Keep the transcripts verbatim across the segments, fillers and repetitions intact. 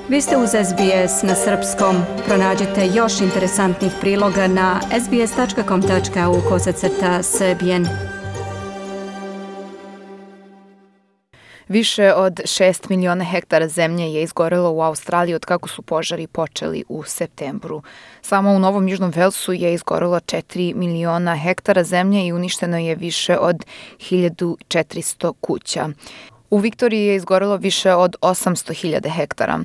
Vi ste uz S B S na srpskom. Pronađite još interesantnih priloga na sbs.com.au kosacrta srbijen. Više od šest miliona hektara zemlje je izgorelo u Australiji od kako su požari počeli u septembru. Samo u Novom Južnom Velsu je izgorelo četiri miliona hektara zemlje i uništeno je više od hiljadu četiristo kuća. U Viktoriji je izgorelo više od osamsto hiljada hektara.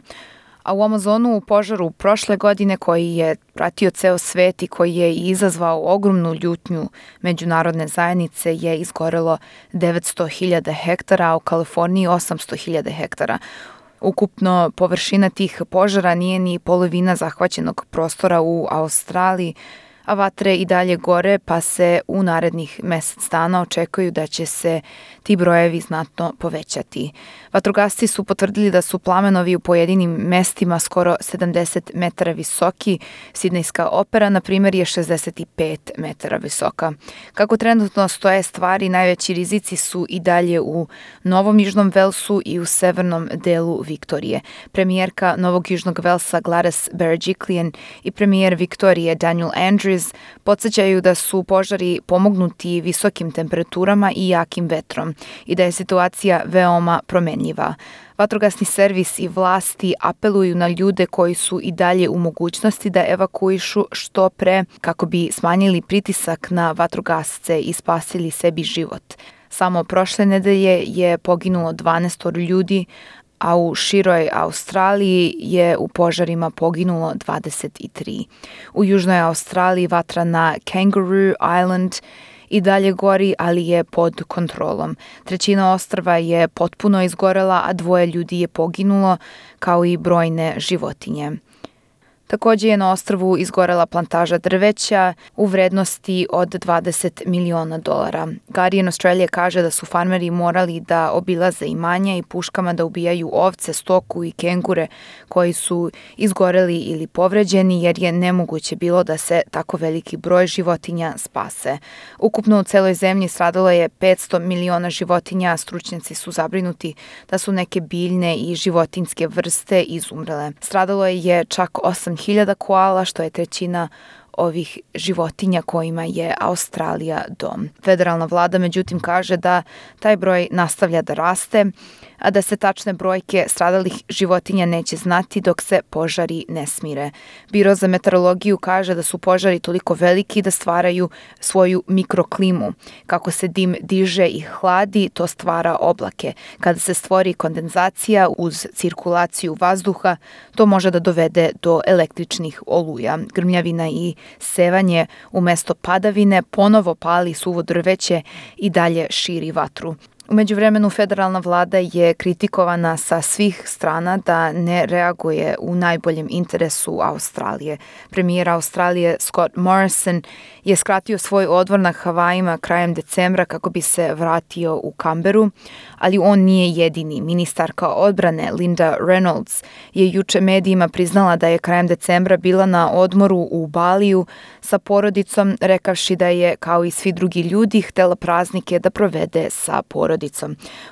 A u Amazonu u požaru prošle godine koji je pratio ceo svet i koji je izazvao ogromnu ljutnju međunarodne zajednice je izgorelo devetsto hiljada hektara, a u Kaliforniji osamsto hiljada hektara. Ukupno površina tih požara nije ni polovina zahvaćenog prostora u Australiji, a vatre i dalje gore, pa se u narednih mesec dana očekuju da će se ti brojevi znatno povećati. Vatrogasci su potvrdili da su plamenovi u pojedinim mestima skoro sedamdeset metara visoki. Sidnejska opera, na primjer, je šezdeset pet metara visoka. Kako trenutno stoje stvari, najveći rizici su i dalje u Novom Južnom Velsu i u severnom delu Viktorije. Premijerka Novog Južnog Velsa Gladys Berejiklian i premijer Viktorije Daniel Andrews podsjećaju da su požari pomognuti visokim temperaturama i jakim vetrom i da je situacija veoma promenljiva. Vatrogasni servis i vlasti apeluju na ljude koji su i dalje u mogućnosti da evakuišu što pre kako bi smanjili pritisak na vatrogasce i spasili sebi život. Samo prošle nedelje je poginulo dvanaest ljudi, a u široj Australiji je u požarima poginulo dvadeset tri. U južnoj Australiji vatra na Kangaroo Island i dalje gori, ali je pod kontrolom. Trećina ostrva je potpuno izgorela, a dvoje ljudi je poginulo, kao i brojne životinje. Također je na ostrvu izgorela plantaža drveća u vrednosti od dvadeset miliona dolara. Guardian Australia kaže da su farmeri morali da obilaze imanja i puškama da ubijaju ovce, stoku i kengure koji su izgoreli ili povređeni, jer je nemoguće bilo da se tako veliki broj životinja spase. Ukupno u celoj zemlji stradalo je petsto miliona životinja, a stručnjaci su zabrinuti da su neke biljne i životinjske vrste izumrele. Stradalo je čak osam hiljada koala, što je trećina ovih životinja kojima je Australija dom. Federalna vlada međutim kaže da taj broj nastavlja da raste, a da se tačne brojke stradalih životinja neće znati dok se požari ne smire. Biro za meteorologiju kaže da su požari toliko veliki da stvaraju svoju mikroklimu. Kako se dim diže i hladi, to stvara oblake. Kada se stvori kondenzacija uz cirkulaciju vazduha, to može da dovede do električnih oluja. Grmljavina i sevanje umesto padavine ponovo pali suvo drveće i dalje širi vatru. U međuvremenu federalna vlada je kritikovana sa svih strana da ne reaguje u najboljem interesu Australije. Premijer Australije Scott Morrison je skratio svoj odmor na Havajima krajem decembra kako bi se vratio u Canberu, ali on nije jedini. Ministarka odbrane Linda Reynolds je juče medijima priznala da je krajem decembra bila na odmoru u Baliju sa porodicom, rekavši da je, kao i svi drugi ljudi, htela praznike da provede sa porodicom.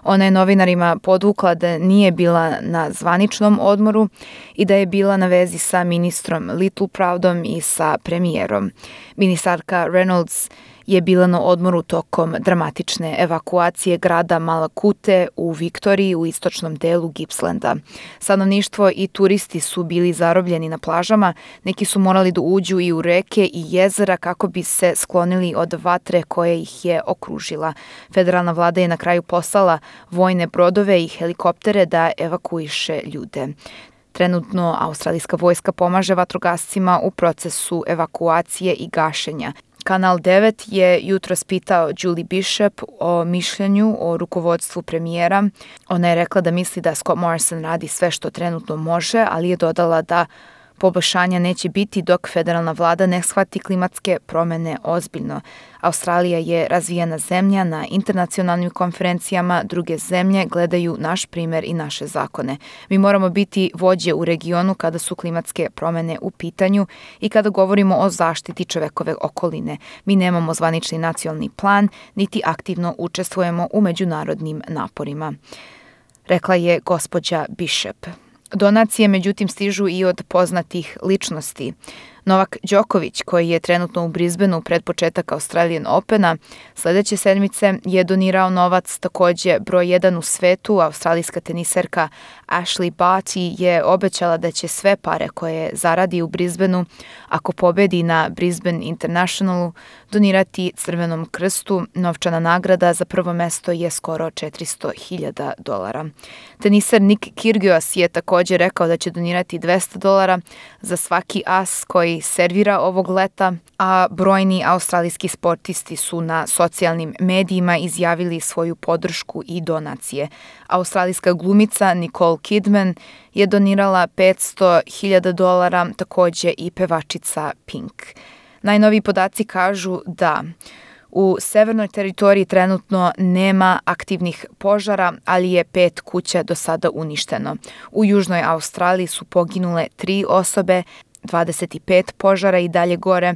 Ona je novinarima podvukla da nije bila na zvaničnom odmoru i da je bila na vezi sa ministrom Littleproudom i sa premijerom. Ministarka Reynolds je bila na odmoru tokom dramatične evakuacije grada Malakute u Viktoriji u istočnom delu Gippslanda. Stanovništvo i turisti su bili zarobljeni na plažama, neki su morali da uđu i u reke i jezera kako bi se sklonili od vatre koja ih je okružila. Federalna vlada je na kraju poslala vojne brodove i helikoptere da evakuiše ljude. Trenutno australijska vojska pomaže vatrogascima u procesu evakuacije i gašenja. Kanal devet je jutros pitao Julie Bishop o mišljenju o rukovodstvu premijera. Ona je rekla da misli da Scott Morrison radi sve što trenutno može, ali je dodala da poboljšanja neće biti dok federalna vlada ne shvati klimatske promjene ozbiljno. Australija je razvijena zemlja, na internacionalnim konferencijama druge zemlje gledaju naš primjer i naše zakone. Mi moramo biti vođe u regionu kada su klimatske promjene u pitanju i kada govorimo o zaštiti čovekove okoline. Mi nemamo zvanični nacionalni plan, niti aktivno učestvujemo u međunarodnim naporima, rekla je gospođa Bishop. Donacije međutim stižu i od poznatih ličnosti. Novak Đoković, koji je trenutno u Brisbaneu pred početak Australian Opena, sledeće sedmice je donirao novac. Takođe, broj jedan u svetu, australijska teniserka Ashleigh Barty je obećala da će sve pare koje zaradi u Brisbaneu, ako pobedi na Brisbane Internationalu, donirati Crvenom krstu. Novčana nagrada za prvo mesto je skoro četiristo hiljada dolara. Teniser Nick Kyrgios je takođe rekao da će donirati dvesta dolara za svaki as koji servira ovog leta, a brojni australijski sportisti su na socijalnim medijima izjavili svoju podršku i donacije. Australijska glumica Nicole Kidman je donirala petsto hiljada dolara, takođe i pevačica Pink. Najnoviji podaci kažu da u severnoj teritoriji trenutno nema aktivnih požara, ali je pet kuća do sada uništeno. U južnoj Australiji su poginule tri osobe, dvadeset pet požara i dalje gore,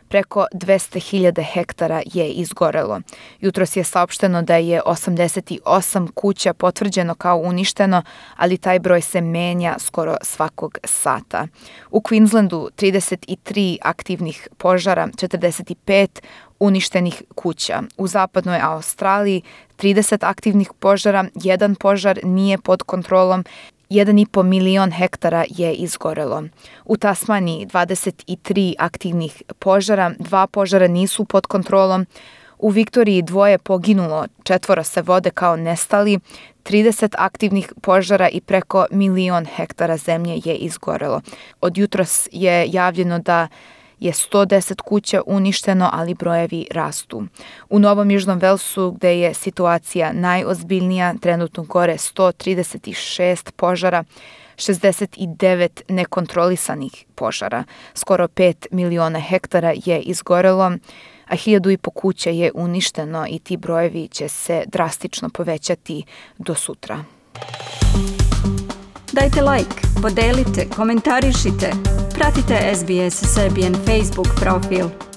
preko dvesta hiljada hektara je izgorelo. Jutros je saopšteno da je osamdeset osam kuća potvrđeno kao uništeno, ali taj broj se menja skoro svakog sata. U Queenslandu trideset tri aktivnih požara, četrdeset pet uništenih kuća. U zapadnoj Australiji trideset aktivnih požara, jedan požar nije pod kontrolom, jedan i po milion hektara je izgorelo. U Tasmaniji dvadeset tri aktivnih požara, dva požara nisu pod kontrolom. U Viktoriji dvoje poginulo, četvoro se vode kao nestali, trideset aktivnih požara i preko milion hektara zemlje je izgorelo. Od jutros je javljeno da je sto deset kuća uništeno, ali brojevi rastu. U Novom Južnom Velsu, gde je situacija najozbiljnija, trenutno gore sto trideset šest požara, šezdeset devet nekontrolisanih požara. Skoro pet miliona hektara je izgorelo, a hiljadu i po kuća je uništeno i ti brojevi će se drastično povećati do sutra. Dajte like, podelite, komentarišite. Pratite S B S Serbian Facebook profil.